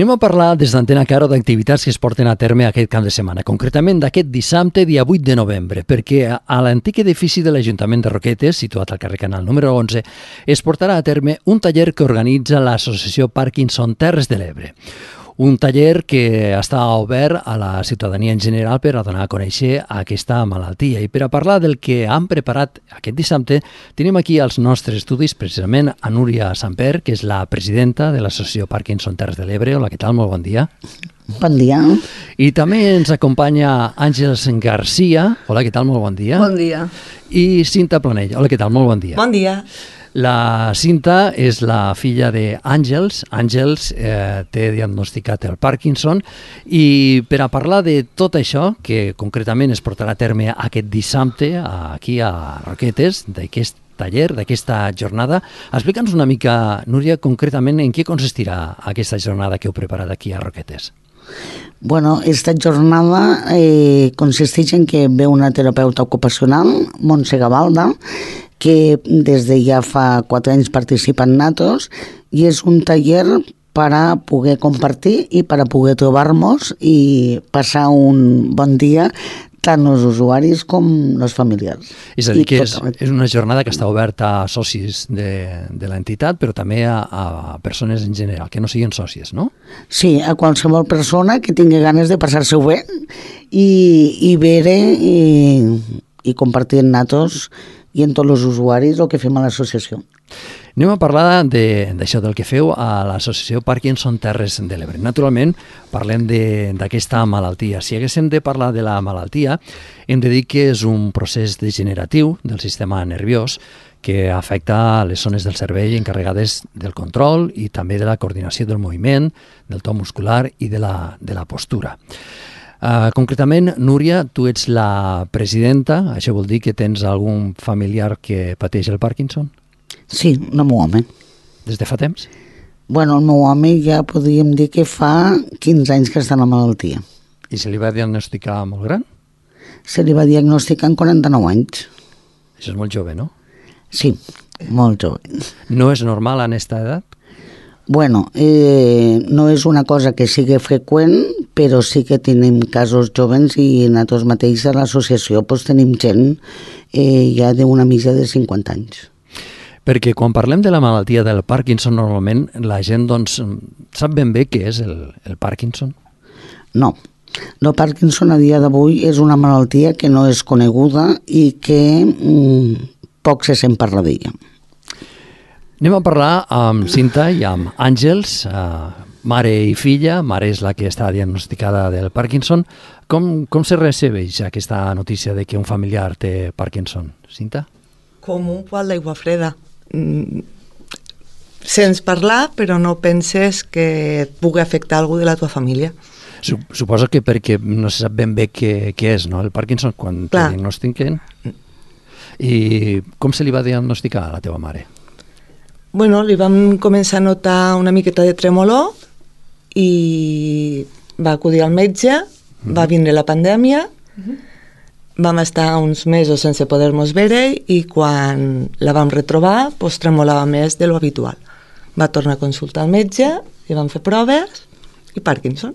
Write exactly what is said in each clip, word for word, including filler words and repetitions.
Anem a parlar des d'Antena Caro d'activitats que es porten a terme aquest cap de setmana, concretament d'aquest dissabte, dia vuit de novembre, perquè a l'antic edifici de l'Ajuntament de Roquetes, situat al carrer Canal número onze, es portarà a terme un taller que organitza l'associació Parkinson Terres de l'Ebre. Un taller que està obert a la ciutadania en general per a donar a conèixer aquesta malaltia. I per a parlar del que han preparat aquest dissabte, tenim aquí als nostres estudis precisament a Núria Samper, que és la presidenta de l'associació Parkinson Terres de l'Ebre. Hola, què tal? Molt bon dia. Bon dia. I també ens acompanya Àngels Garcia. Hola, què tal? Molt bon dia. Bon dia. I Cinta Planell. Hola, què tal? Molt bon dia. Bon dia. La Cinta és la filla d'Àngels. Àngels eh, té diagnosticat el Parkinson i per a parlar de tot això, que concretament es portarà a terme aquest dissabte aquí a Roquetes, d'aquest taller, d'aquesta jornada, explica'ns una mica, Núria, concretament en què consistirà aquesta jornada que heu preparat aquí a Roquetes. Bueno, esta jornada eh, consisteix en que ve una terapeuta ocupacional, Montse Gavalda, que des de ja fa quatre anys participa en Natos, i és un taller per a poder compartir i per a poder trobar-nos i passar un bon dia tant els usuaris com els familiars. És a dir, que és, és una jornada que està oberta a socis de, de l'entitat, però també a, a persones en general, que no siguin sòcies, no? Sí, a qualsevol persona que tingui ganes de passar-se bé i, i veure i, i compartir en Natos i en tots els usuaris el que fem a l'associació. Anem a parlar d'això, de, del que feu a l'associació Parkinson Terres de l'Ebre. Naturalment, parlem d'aquesta malaltia. Si haguéssim de parlar de la malaltia, hem de dir que és un procés degeneratiu del sistema nerviós que afecta les zones del cervell encarregades del control i també de la coordinació del moviment, del to muscular i de la, de la postura. Uh, concretament, Núria, tu ets la presidenta, això vol dir que tens algun familiar que pateix el Parkinson? Sí, el meu home. Des de fa temps? Bueno, el meu home ja podríem dir que fa quinze anys que està en la malaltia. I se li va diagnosticar molt gran? Se li va diagnosticar en quaranta-nou anys. Això és molt jove, no? Sí, molt jove. No és normal en aquesta edat? Bueno, eh, no és una cosa que sigui freqüent, però sí que tenim casos jovens i nosaltres mateix a l'associació pues, tenim gent eh, ja d'una mitja de cinquanta anys. Perquè quan parlem de la malaltia del Parkinson, normalment la gent doncs, sap ben bé què és el, el Parkinson? No. El Parkinson a dia d'avui és una malaltia que no és coneguda i que mm, poc se sent parlar d'ella. Anem a parlar amb Cinta i amb Àngels, eh, mare i filla. Mare és la que està diagnosticada del Parkinson. Com, com se recebeix aquesta notícia de que un familiar té Parkinson? Cinta? Com un poal d'aigua freda. Mm. Sents parlar, però no penses que et pugui afectar algú de la tua família. Suposo que perquè no se sap ben bé què, què és, no? El Parkinson, quan te diagnostiquen. I com se li va diagnosticar a la teva mare? Bueno, li vam començar a notar una miqueta de tremolor i va acudir al metge, mm-hmm. va vindre la pandèmia, mm-hmm. vam estar uns mesos sense poder-nos veure i quan la vam retrobar pues, tremolava més de lo habitual. Va tornar a consultar el metge, li van fer proves i Parkinson.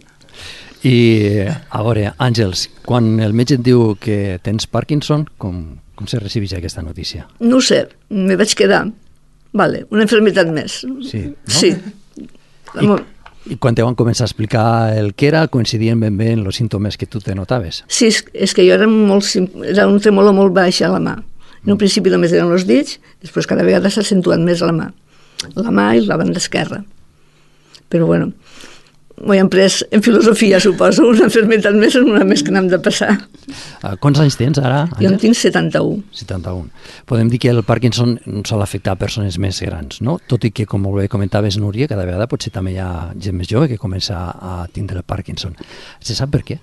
I a veure, Àngels, quan el metge et diu que tens Parkinson, com, com se recibeix aquesta notícia? No ho sé, me vaig quedar. Vale, una enfermitat més. Sí, no? Sí. I, I quan te van començar a explicar el que era, coincidien ben bé en els símptomes que tu te notaves? Sí, és, és que jo era, molt, era un tremolor molt baix a la mà. En un principi només eren els dits, després cada vegada s'ha accentuat més a la mà. La mà i la banda esquerra. Però bueno, m'ho he pres en filosofia, suposo, una enfermitat més és una més que n'hem de passar. Uh, quants anys tens ara, Àngels? Jo en tinc setanta-un. setanta-un. Podem dir que el Parkinson sol afectar persones més grans, no? Tot i que, com molt bé comentaves, Núria, cada vegada potser també hi ha gent més jove que comença a tindre el Parkinson. Se sap per què?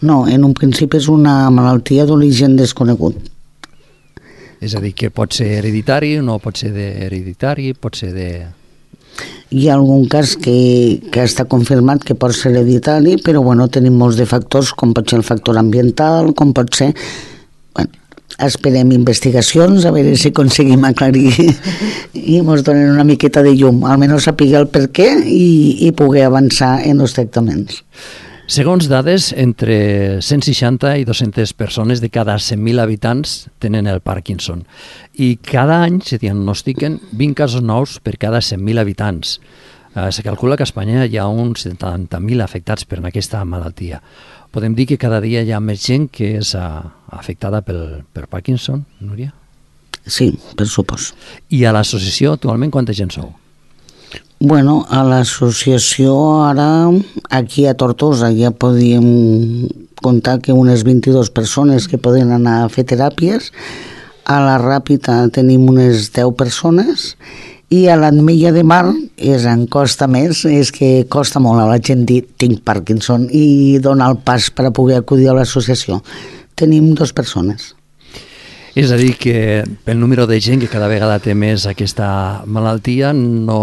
No, en un principi és una malaltia d'origen desconegut. És a dir, que pot ser hereditari, no pot ser hereditari, pot ser de... Hi ha algun cas que, que està confirmat que pot ser hereditari, però bueno, tenim molts de factors, com pot ser el factor ambiental, com pot ser... Bueno, esperem investigacions, a veure si aconseguim aclarir i ens donen una miqueta de llum, almenys saber el per què i, i poder avançar en els tractaments. Segons dades, entre cent seixanta i dues-centes persones de cada cent mil habitants tenen el Parkinson i cada any se diagnostiquen vint casos nous per cada cent mil habitants. Eh, se calcula que a Espanya hi ha uns setanta mil afectats per aquesta malaltia. Podem dir que cada dia hi ha més gent que és uh, afectada pel, per Parkinson, Núria? Sí, per supòs. I a l'associació actualment quanta gent sou? Bueno, a l'associació ara, aquí a Tortosa, ja podíem contar que unes vint-i-dues persones que poden anar a fer teràpies, a la Ràpita tenim unes deu persones i a l'Ametlla de Mar és en costa més, és que costa molt a la gent dir tinc Parkinson i donar el pas per a poder acudir a l'associació. Tenim dues persones. És a dir, que pel número de gent que cada vegada té més aquesta malaltia no,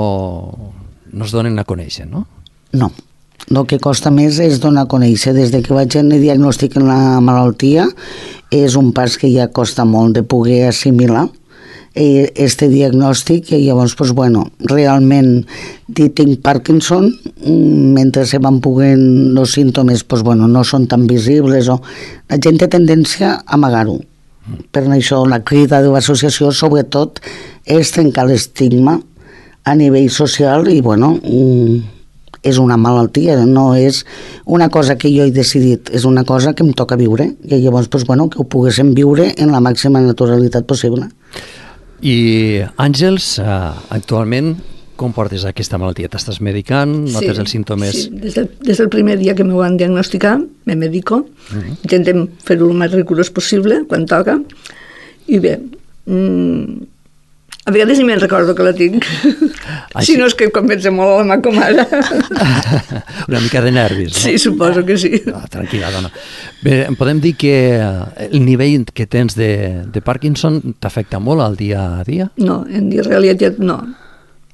no es donen a conèixer, no? No. El que costa més és donar a conèixer. Des de que vaig tenir diagnòstic en la malaltia és un pas que ja costa molt de poder assimilar este diagnòstic i llavors, pues, bueno, realment dir tinc Parkinson, mentre se van poguent els símptomes, pues, bueno, no són tan visibles o la gent té tendència a amagar-ho. Per això la crida de l'associació sobretot és trencar l'estigma a nivell social i bueno, és una malaltia, no és una cosa que jo he decidit, és una cosa que em toca viure i llavors pues, bueno, que ho poguéssim viure en la màxima naturalitat possible. I Àngels, actualment com portes aquesta malaltia? T'estàs medicant? Notes sí, els símptomes? Sí, des del, des del primer dia que m'ho van diagnosticar, me medico, uh-huh. Intentem fer-ho el més rigorós possible, quan toca, i bé, mmm, a vegades ni me'n recordo que la tinc, si no és que quan penso molt a la mà com ara. Una mica de nervis, no? Sí, suposo que sí. Ah, tranquil·la, dona. Bé, podem dir que el nivell que tens de, de Parkinson t'afecta molt al dia a dia? No, en realitat no.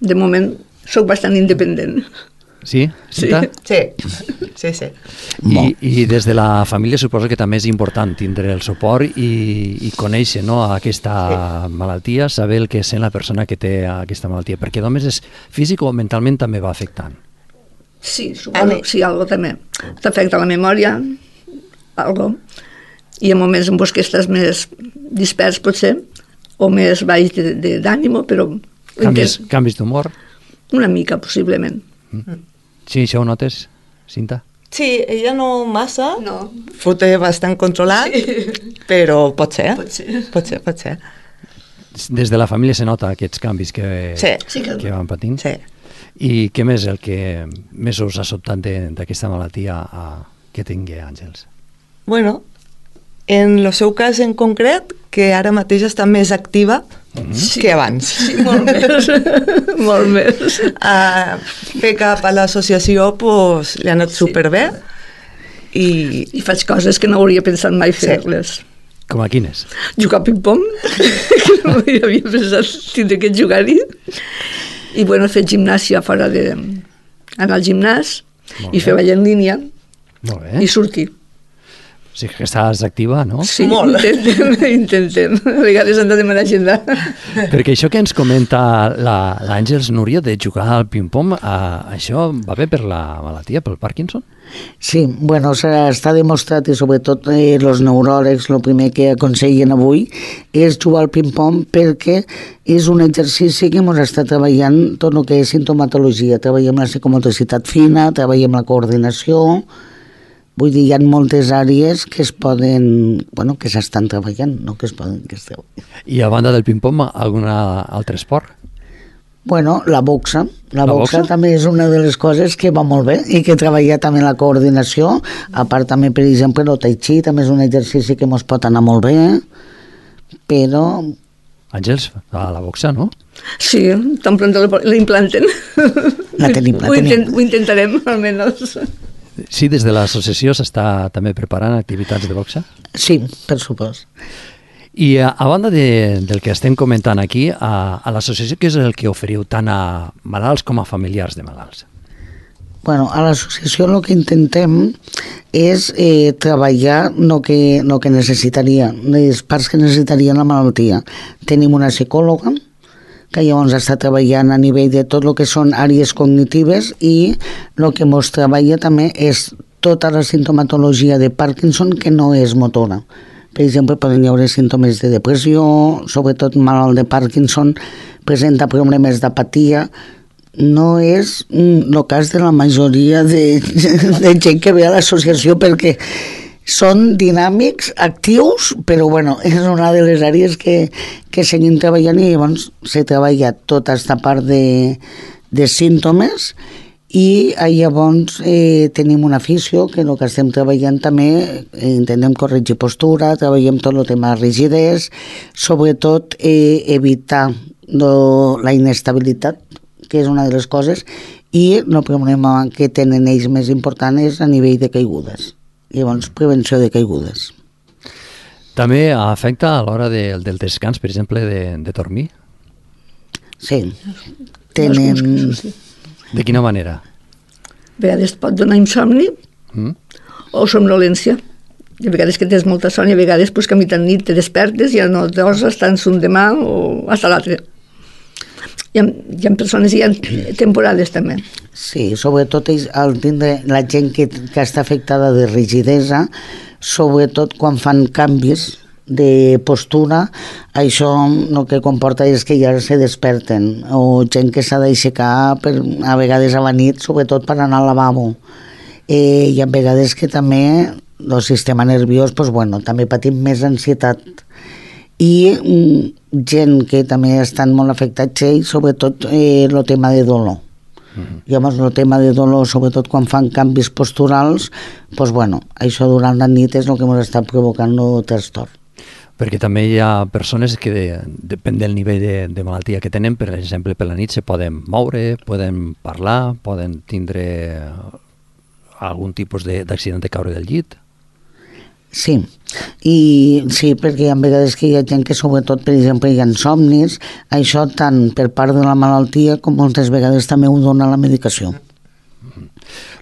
De moment sóc bastant independent. Sí? Sí, sí, sí, sí. I, I des de la família suposo que també és important tindre el suport i, i conèixer, no, aquesta sí. malaltia, saber el que sent la persona que té aquesta malaltia, perquè només és físic o mentalment també va afectant. Sí, suposo, sí, algo també. T'afecta la memòria, algo, i en moments en què estàs més dispers potser, o més baix d'ànimo, però... Canvis, canvis d'humor? Una mica, possiblement. Mm. Sí, això ho notes, Cinta? Sí, ella no massa, no. Ho té bastant controlat, sí. Però pot ser, pot ser, pot ser, pot ser. Des de la família se nota aquests canvis que, sí. que van patint? Sí. I què més el que més us ha sobtat d'aquesta malaltia a, que tingui Àngels? Bueno, en el seu cas en concret, que ara mateix està més activa mm-hmm. que abans. Sí, molt més. molt més. A fer cap a l'associació pues, li ha anat sí. superbé. I... I faig coses que no hauria pensat mai fer-les. Sí. Com a quines? Jugar a ping-pong, que no havia pensat tindre que jugar-hi. I bueno, fer gimnàsia fora de... anar al gimnàs i fer ball en línia i sortir. O sigui que estàs activa, no? Sí, molt. Intentem, intentem. A vegades hem de demanar agenda. Perquè això que ens comenta l'Àngels, Núria, de jugar al ping-pong, eh, això va bé per la malaltia, pel Parkinson? Sí, bueno, està demostrat i sobretot eh, els neuròlegs el primer que aconsellen avui és jugar al ping-pong perquè és un exercici que ens està treballant tot el que és sintomatologia. Treballem la psicomotricitat fina, treballem la coordinació. Vull dir, hi ha moltes àrees que es poden, bueno, que s'estan treballant, no que es poden, que es treballen. I a banda del ping-pong, algun altre esport? Bueno, la boxa. La, la boxa, boxa també és una de les coses que va molt bé i que treballa també la coordinació. A part també, per exemple, el tai chi també és un exercici que ens pot anar molt bé, però... Àngels, a la boxa, no? Sí, tan pront l'implanten. La tenim, la ho, tenim. intent, ho intentarem, almenys. Sí, des de l'associació s'està també preparant activitats de boxa? Sí, per supost. I a, a banda de, del que estem comentant aquí, a, a l'associació què és el que oferiu tant a malalts com a familiars de malalts? Bueno, a l'associació el que intentem és eh, treballar el que, no que necessitaria, les parts que necessitaria la malaltia. Tenim una psicòloga que llavors està treballant a nivell de tot el que són àrees cognitives i el que ens treballa també és tota la sintomatologia de Parkinson que no és motora. Per exemple, poden hi haver símptomes de depressió, sobretot malalt de Parkinson presenta problemes d'apatia. No és el cas de la majoria de, de gent que ve a l'associació perquè són dinàmics, actius, però bueno, és una de les àrees que, que seguim treballant i llavors se treballa tota aquesta part de, de símptomes i llavors eh, tenim una afició que el que estem treballant també eh, intentem corregir postura, treballem tot el tema de rigidesa, sobretot eh, evitar lo, la inestabilitat, que és una de les coses, i el problema que tenen ells més important és a nivell de caigudes. Llavors, prevenció de caigudes. També afecta a l'hora de, del descans, per exemple, de, de dormir? Sí. Tenen... De quina manera? A vegades pot donar insomni mm. o somnolència. I a vegades que tens molta son i a vegades pues, que a mitjan nit te despertes i ja no deus estar en un demà o hasta l'altre. Hi ha, hi ha persones, hi ha temporades també. Sí, sobretot el tindre la gent que, que està afectada de rigidesa, sobretot quan fan canvis de postura, això el que comporta és que ja se desperten, o gent que s'ha d'aixecar per, a vegades a la nit, sobretot per anar al lavabo. Eh, I a vegades que també el sistema nerviós, pues, bueno, també patim més ansietat. I mm, gent que també estan molt afectats, i sobretot eh, el tema de dolor. Uh-huh. Llavors el tema de dolor, sobretot quan fan canvis posturals, pues, bueno, això durant la nit és el que ens està provocant el trastorn. Perquè també hi ha persones que, de, depèn del nivell de, de malaltia que tenen, per exemple, per la nit se poden moure, poden parlar, poden tindre algun tipus d'accident de caure del llit. Sí, i sí, perquè hi ha vegades que hi ha gent que sobretot, per exemple, hi ha somnis, això tant per part de la malaltia com moltes vegades també ho dona la medicació.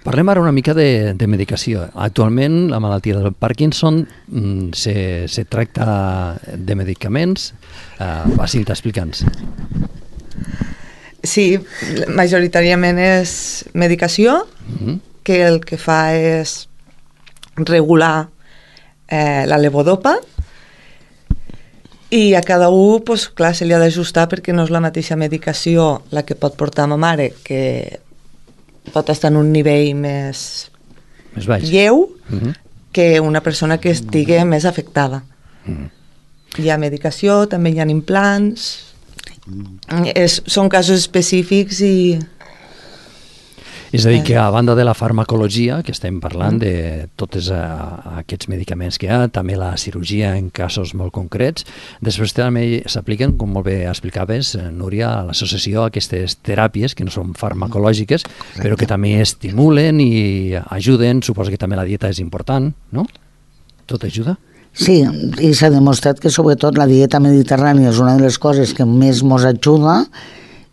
Parlem ara una mica de, de medicació. Actualment la malaltia del Parkinson mm, se, se tracta de medicaments. Uh, Basil, t'explica'ns. Sí, majoritàriament és medicació, mm-hmm. que el que fa és regular eh, la levodopa i a cada un, pues, clar, se li ha d'ajustar perquè no és la mateixa medicació la que pot portar ma mare, que pot estar en un nivell més, més baix, lleu, uh-huh. que una persona que estigui més afectada. Uh-huh. Hi ha medicació, també hi ha implants, és, són casos específics i... És a dir, que a banda de la farmacologia, que estem parlant de tots uh, aquests medicaments que hi ha, també la cirurgia en casos molt concrets, després també s'apliquen, com molt bé explicaves, Núria, a l'associació, aquestes teràpies que no són farmacològiques, Exacte. Però que també estimulen i ajuden, suposo que també la dieta és important, no? Tot ajuda? Sí, i s'ha demostrat que sobretot la dieta mediterrània és una de les coses que més ens ajuda.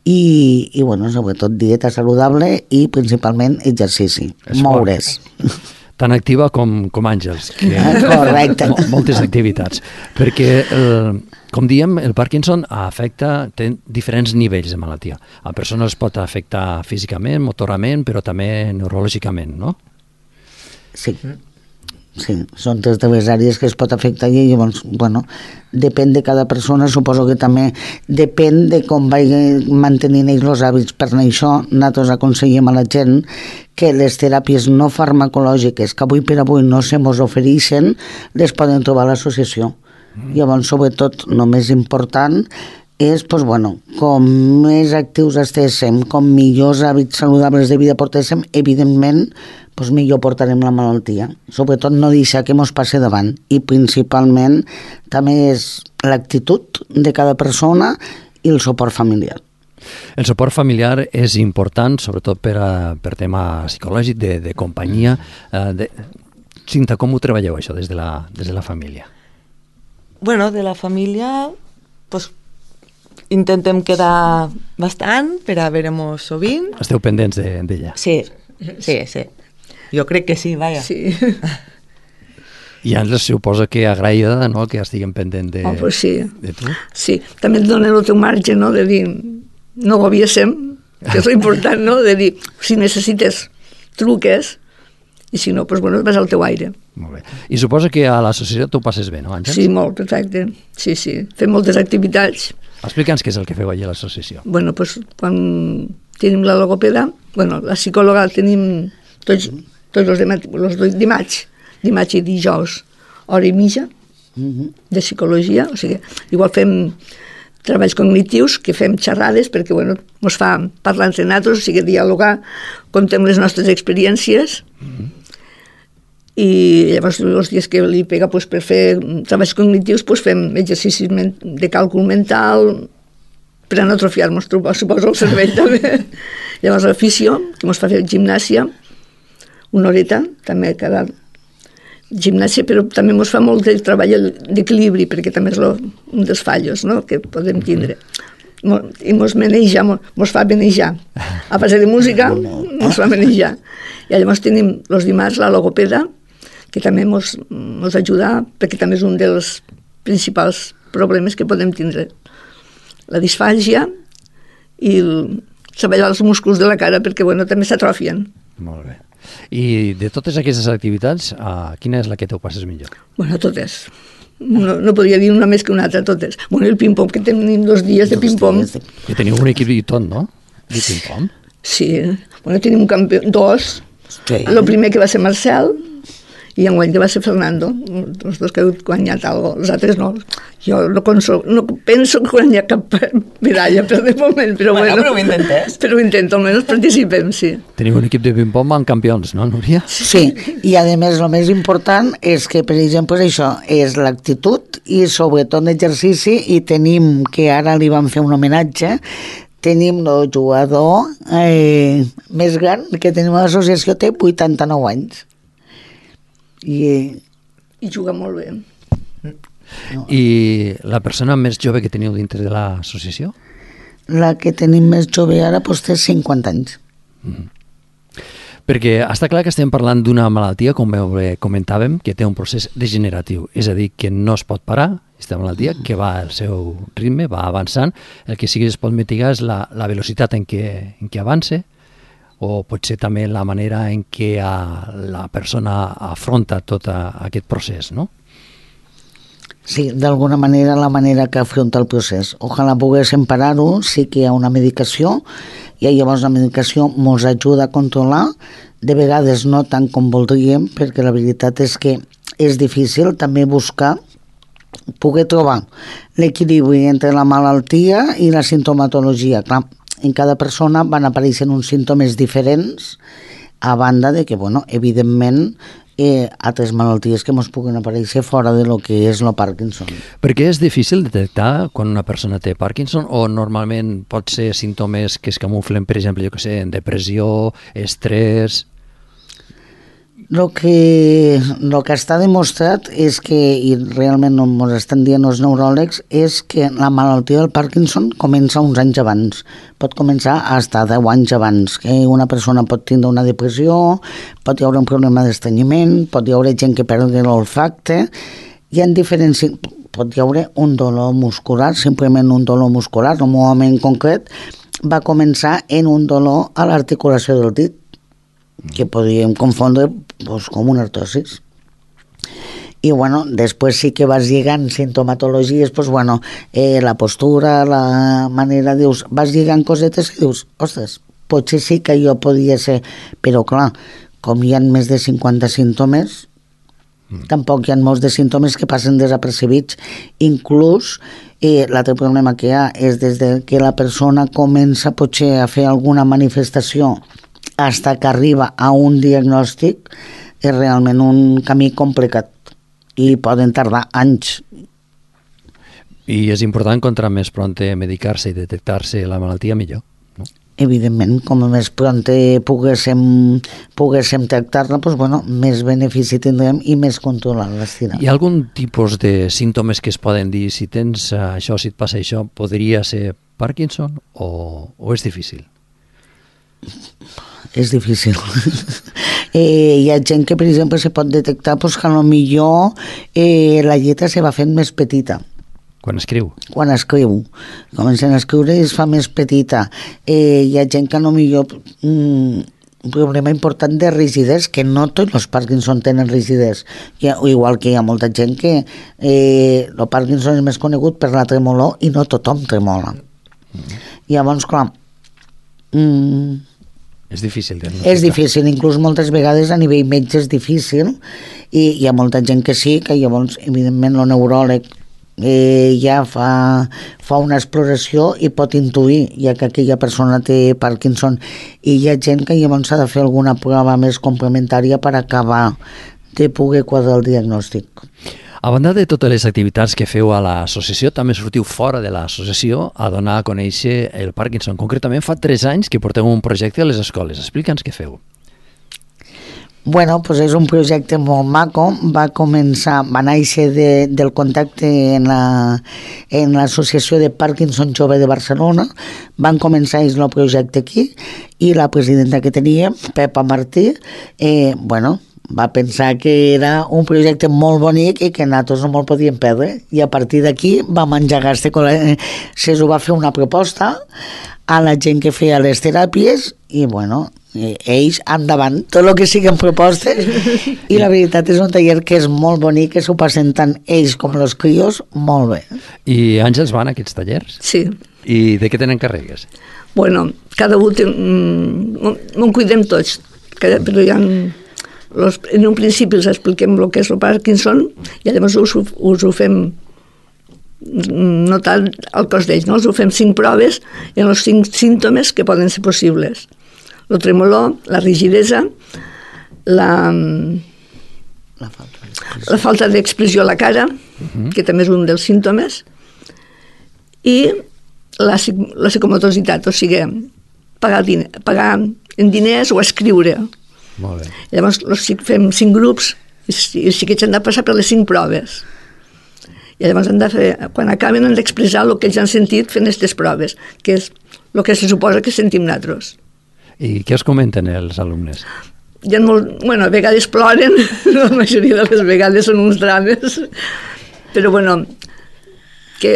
I, i bueno, sobretot dieta saludable i principalment exercici, Esport. Moure's. Tan activa com, com Àngels, que correcte. Moltes activitats, perquè el, com diem, el Parkinson afecta, té diferents nivells de malaltia. A persones pot afectar físicament, motorament, però també neurològicament, no? Sí. Sí, són tres de les àrees que es pot afectar i llavors, bueno, depèn de cada persona, suposo que també depèn de com vagi mantenint ells els hàbits. Per això nosaltres aconsellem a la gent que les teràpies no farmacològiques que avui per avui no se mos ofereixen les poden trobar a l'associació. Mm. Llavors, sobretot, el més important és, doncs, bueno, com més actius estéssim, com millors hàbits saludables de vida portéssim, evidentment, doncs millor portarem la malaltia. Sobretot no deixar que mos passi davant. I principalment també és l'actitud de cada persona i el suport familiar. El suport familiar és important, sobretot per, a, per tema psicològic, de, de companyia. De... Cinta, com ho treballeu això des de la, des de la família? Bueno, de la família, pues, intentem quedar bastant per a veure-nos sovint. Esteu pendents d'ella? Sí, sí, sí. Jo crec que sí, vaja. Sí. I ens suposa que agraïda, no?, que estiguem pendent de, oh, pues sí. de tu. Sí, també et donen el teu marge, no?, de dir, no gobiesem, que és important, no?, de dir, si necessites truques, i si no, doncs, bueno, vas al teu aire. Molt bé. I suposa que a l'associació tu passes bé, no, Àngels? Sí, molt, exacte. Sí, sí. Fem moltes activitats. Explica'ns què és el que feu allà a l'associació. Bueno, doncs, quan tenim la logopeda, bueno, la psicòloga tenim tots, tots els dimarts, dimarts, dimarts i dijous, hora i mitja de psicologia, o sigui, igual fem treballs cognitius, que fem xerrades, perquè, bueno, ens fa parlar entre nosaltres, o sigui, dialogar, contem les nostres experiències, mm-hmm. i llavors els dies que li pega pues, per fer treballs cognitius pues, fem exercicis de càlcul mental per a no atrofiar-nos, suposo, el cervell també. Llavors l'afició, que ens fa fer gimnàsia, una horeta, també cada gimnàsia, però també ens fa molt de treball d'equilibri, perquè també és lo, un dels fallos, no?, que podem tindre. I ens maneja, ens fa manejar. A base de música, ens fa manejar. I llavors tenim els dimarts la logopeda, que també ens, ens ajuda, perquè també és un dels principals problemes que podem tindre. La disfàgia i el, treballar els músculs de la cara, perquè bueno, també s'atrofien. Molt bé. I de totes aquestes activitats, uh, quina és la que t'ho passes millor? Bueno, totes. No, no podria dir una més que una altra, totes. Bueno, el ping-pong, que tenim dos dies de ping-pong. Que teniu un equip i tot, no? De ping-pong? Sí. Bueno, tenim un campió, dos. Sí. El primer que va ser Marcel, i enguany que va ser Fernando, els dos que han guanyat alguna cosa, els altres no. Jo no, consol, no penso guanyar cap medalla per de moment, però bueno. Bueno, però ho intentes. Però ho intento, almenys participem, sí. Teniu un equip de ping-pong amb campions, no, Núria? Sí, i a més el més important és que, per exemple, això és l'actitud i sobretot l'exercici, i tenim, que ara li vam fer un homenatge, tenim el jugador eh, més gran que tenim a l'associació, té vuitanta-nou anys. I, I juga molt bé. No. I la persona més jove que teniu dintre de l'associació? La que tenim més jove ara doncs, té cinquanta anys. Mm. Perquè està clar que estem parlant d'una malaltia, com comentàvem, que té un procés degeneratiu, és a dir, que no es pot parar, aquesta malaltia, que va al seu ritme, va avançant, el que sí que es pot mitigar és la, la velocitat en què, en què avance, o potser també la manera en què la persona afronta tot aquest procés, no? Sí, d'alguna manera la manera que afronta el procés. Ojalà poguéssim parar-ho, sí que hi ha una medicació, i llavors la medicació ens ajuda a controlar, de vegades no tant com voldríem, perquè la veritat és que és difícil també buscar, poder trobar l'equilibri entre la malaltia i la sintomatologia. Clar, en cada persona van apareixent uns símptomes diferents, a banda de que, bueno, evidentment, eh, altres malalties que ens puguen aparèixer fora de lo que és el Parkinson. Per què és difícil detectar quan una persona té Parkinson, o normalment pot ser símptomes que es camuflen, per exemple, jo que sé, en depressió, estrès? El que, lo que està demostrat és que, i realment no ens estan dient els neuròlegs, és que la malaltia del Parkinson comença uns anys abans. Pot començar fins a deu anys abans, que una persona pot tindre una depressió, pot hi haure un problema d'estrenyiment, pot hi haure gent que perd l'olfacte, hi ha diferents... pot hi haure un dolor muscular, simplement un dolor muscular. En un moment concret va començar en un dolor a l'articulació del dit, que podríem confondre pues, com una artrosis. I bueno, després sí que vas lligant sintomatologies, pues bueno, eh, la postura, la manera, dius, vas lligant cosetes i dius, ostres, potser sí que jo podia ser, però clar, com hi ha més de cinquanta símptomes, mm. tampoc hi ha molts de símptomes que passen desapercebits. Inclús eh, l'altre problema que hi ha és des de que la persona comença potser a fer alguna manifestació fins que arriba a un diagnòstic, és realment un camí complicat i poden tardar anys. I és important, contra més pront medicar-se i detectar-se la malaltia, millor, no? Evidentment, com més pront poguéssim, poguéssim tractar-la, doncs, bueno, més benefici tindrem i més controlar-la. Hi ha algun tipus de símptomes que es poden dir, si tens això, si et passa això, podria ser Parkinson o, o és difícil? És difícil. Eh, hi ha gent que, per exemple, se pot detectar pues, que potser eh, la lletra se va fent més petita. Quan escriu? Quan escriu. Comencen a escriure i es fa més petita. Eh, hi ha gent que potser... Mm, un problema important de rigidesa, que no tots els Parkinson tenen rigidesa, igual que hi ha molta gent que eh, el Parkinson és més conegut per la tremolor i no tothom tremola. Mm. Llavors, clar, mm, és difícil diagnosticar. És difícil, inclús moltes vegades a nivell metge és difícil, i hi ha molta gent que sí, que llavors, evidentment, el neuròleg eh, ja fa, fa una exploració i pot intuir, ja que aquella persona té Parkinson, i hi ha gent que llavors s'ha de fer alguna prova més complementària per acabar de poder quadrar el diagnòstic. A banda de totes les activitats que feu a l'associació, també sortiu fora de l'associació a donar a conèixer el Parkinson. Concretament, fa tres anys que porteu un projecte a les escoles. Explica'ns què feu. Bueno, pues és un projecte molt maco. Va començar, va néixer de, del contacte en la, en l'associació de Parkinson Jove de Barcelona. Van començar ells el projecte aquí i la presidenta que tenia, Pepa Martí, eh, bueno, va pensar que era un projecte molt bonic i que nosaltres no me'l podíem perdre, i a partir d'aquí vam engegar este col·le... se'ls va fer una proposta a la gent que feia les teràpies i bueno, ells endavant, tot el que siguin propostes, i la veritat és un taller que és molt bonic, que s'ho passen tant ells com els crios molt bé. I Àngels van a aquests tallers? Sí. I de què tenen càrregues? Bueno, cada un té... No en cuidem tots, però hi ha... Los, en un principi els expliquem el que és el Parkinson i llavors us, us ho fem notar al cos d'ells, no? Us ho fem cinc proves en els cinc símptomes que poden ser possibles: el tremolor, la rigidesa, la, la falta, la falta d'expressió a la cara, uh-huh. que també és un dels símptomes, i la, la psicomotositat, o sigui, pagar, diner, pagar en diners o escriure. Molt bé. Llavors fem cinc grups i els xiquets han de passar per les cinc proves. I llavors han de fer, quan acaben han d'expressar el que ells han sentit fent aquestes proves, que és el que se suposa que sentim nosaltres. I què us comenten els alumnes? Hi ha molt, bueno, a vegades ploren, la majoria de les vegades són uns drames, però bueno, que...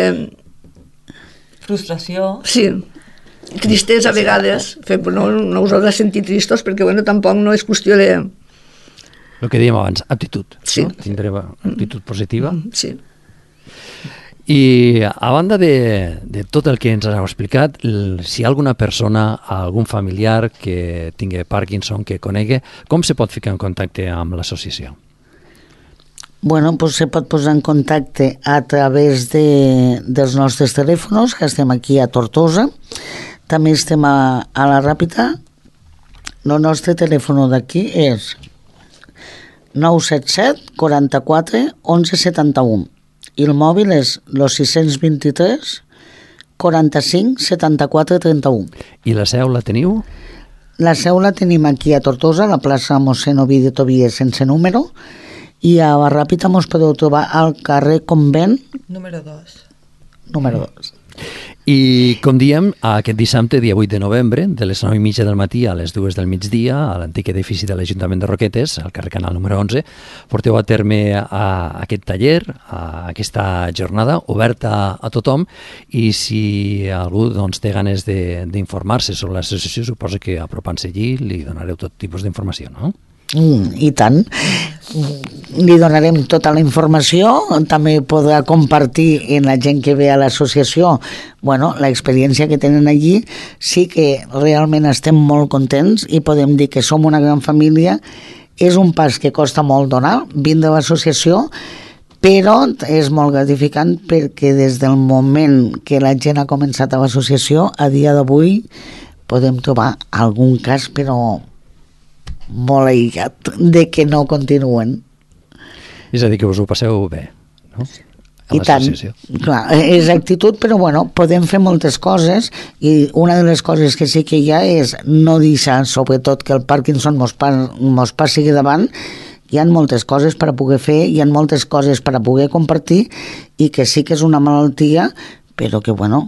Frustració. Sí, tristesa a vegades, no, no us heu de sentir tristos perquè bueno, tampoc no és qüestió de... El que dèiem abans, aptitud. Sí. No? Tindré aptitud positiva. Sí. I a banda de, de tot el que ens heu explicat, si hi ha alguna persona, algun familiar que tingui Parkinson, que conegui, com se pot ficar en contacte amb l'associació? Bueno, pues se pot posar en contacte a través de, dels nostres telèfons, que estem aquí a Tortosa. També estem a, a la Ràpita. El nostre telèfon d'aquí és nou set set, quaranta-quatre, onze setanta-u, i el mòbil és el sis dos tres, quaranta-cinc, setanta-quatre, trenta-u. I la seu la teniu? La seu la tenim aquí a Tortosa, a la plaça mossèn Ovidi Tobies, sense número, i a la Ràpita mos podeu trobar al carrer Convent número dos. Número dos. I, com diem, aquest dissabte, dia vuit de novembre, de les nou i mitja del matí a les dues del migdia, a l'antic edifici de l'Ajuntament de Roquetes, al carrer Canal número onze, porteu a terme a aquest taller, a aquesta jornada oberta a tothom, i si algú doncs, té ganes d'informar-se sobre l'associació, suposo que apropant-se allí li donareu tot tipus d'informació, no? Mm, I tant. Li donarem tota la informació, també podrà compartir en la gent que ve a l'associació bueno, l'experiència que tenen allí. Sí que realment estem molt contents i podem dir que som una gran família. És un pas que costa molt donar, vindre a l'associació, però és molt gratificant perquè des del moment que la gent ha començat a l'associació, a dia d'avui podem trobar algun cas, però molt aïllat, de que no continuen. És a dir, que us ho passeu bé, no? A I tant, clar, és actitud, però bueno, podem fer moltes coses, i una de les coses que sí que hi ha és no deixar, sobretot, que el Parkinson mos, pa, mos passi davant. Hi ha moltes coses per a poder fer, hi ha moltes coses per a poder compartir, i que sí que és una malaltia, però que bueno,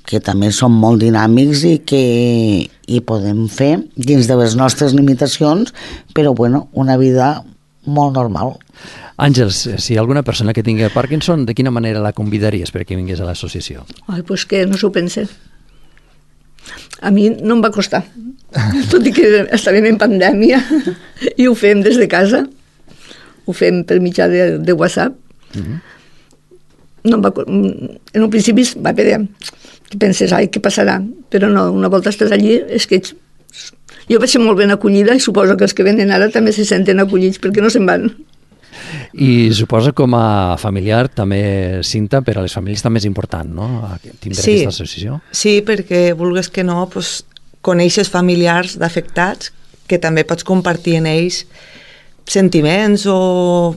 que també som molt dinàmics i que hi podem fer dins de les nostres limitacions, però bueno, una vida molt normal. Àngels, si hi ha alguna persona que tingui Parkinson, de quina manera la convidaries perquè vingués a l'associació? Ai, doncs que no s'ho pense. A mi no em va costar, tot i que estàvem en pandèmia i ho fem des de casa, ho fem per mitjà de, de WhatsApp. Mm-hmm. No em va, en un principi va haver que penses, ai, què passarà? Però no, una volta estàs allí, és que ets... jo vaig ser molt ben acollida i suposo que els que venen ara també se senten acollits perquè no se'n van. I suposo com a familiar també, Cinta, per a les famílies també és important, no?, tindre sí, aquesta associació. Sí, perquè vulgues que no, pues, coneixes familiars d'afectats que també pots compartir en ells sentiments o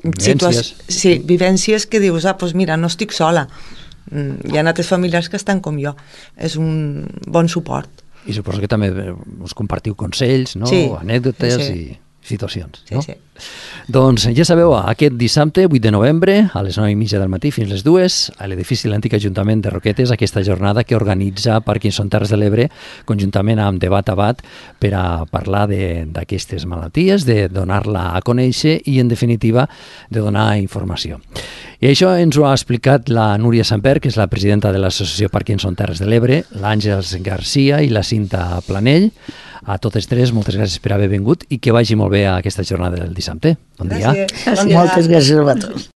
vivències. Sí, vivències que dius, ah, doncs mira, no estic sola. Hi ha altres familiars que estan com jo. És un bon suport. I suposo que també us compartiu consells, no? Sí, anècdotes sí, sí. i situacions. Sí, no? sí. Doncs ja sabeu, aquest dissabte, vuit de novembre, a les nou i mitja del matí fins les dues, a l'edifici de l'antic Ajuntament de Roquetes, aquesta jornada que organitza Parkinson Terres de l'Ebre, conjuntament amb Debat Abat, per a parlar d'aquestes malalties, de donar-la a conèixer i, en definitiva, de donar informació. I això ens ho ha explicat la Núria Samper, que és la presidenta de l'Associació Parkinson Terres de l'Ebre, l'Àngels Garcia i la Cinta Planell. A totes tres, moltes gràcies per haver vingut i que vagi molt bé a aquesta jornada del dissabte. Bon dia. Gràcies. Moltes gràcies a vosaltres.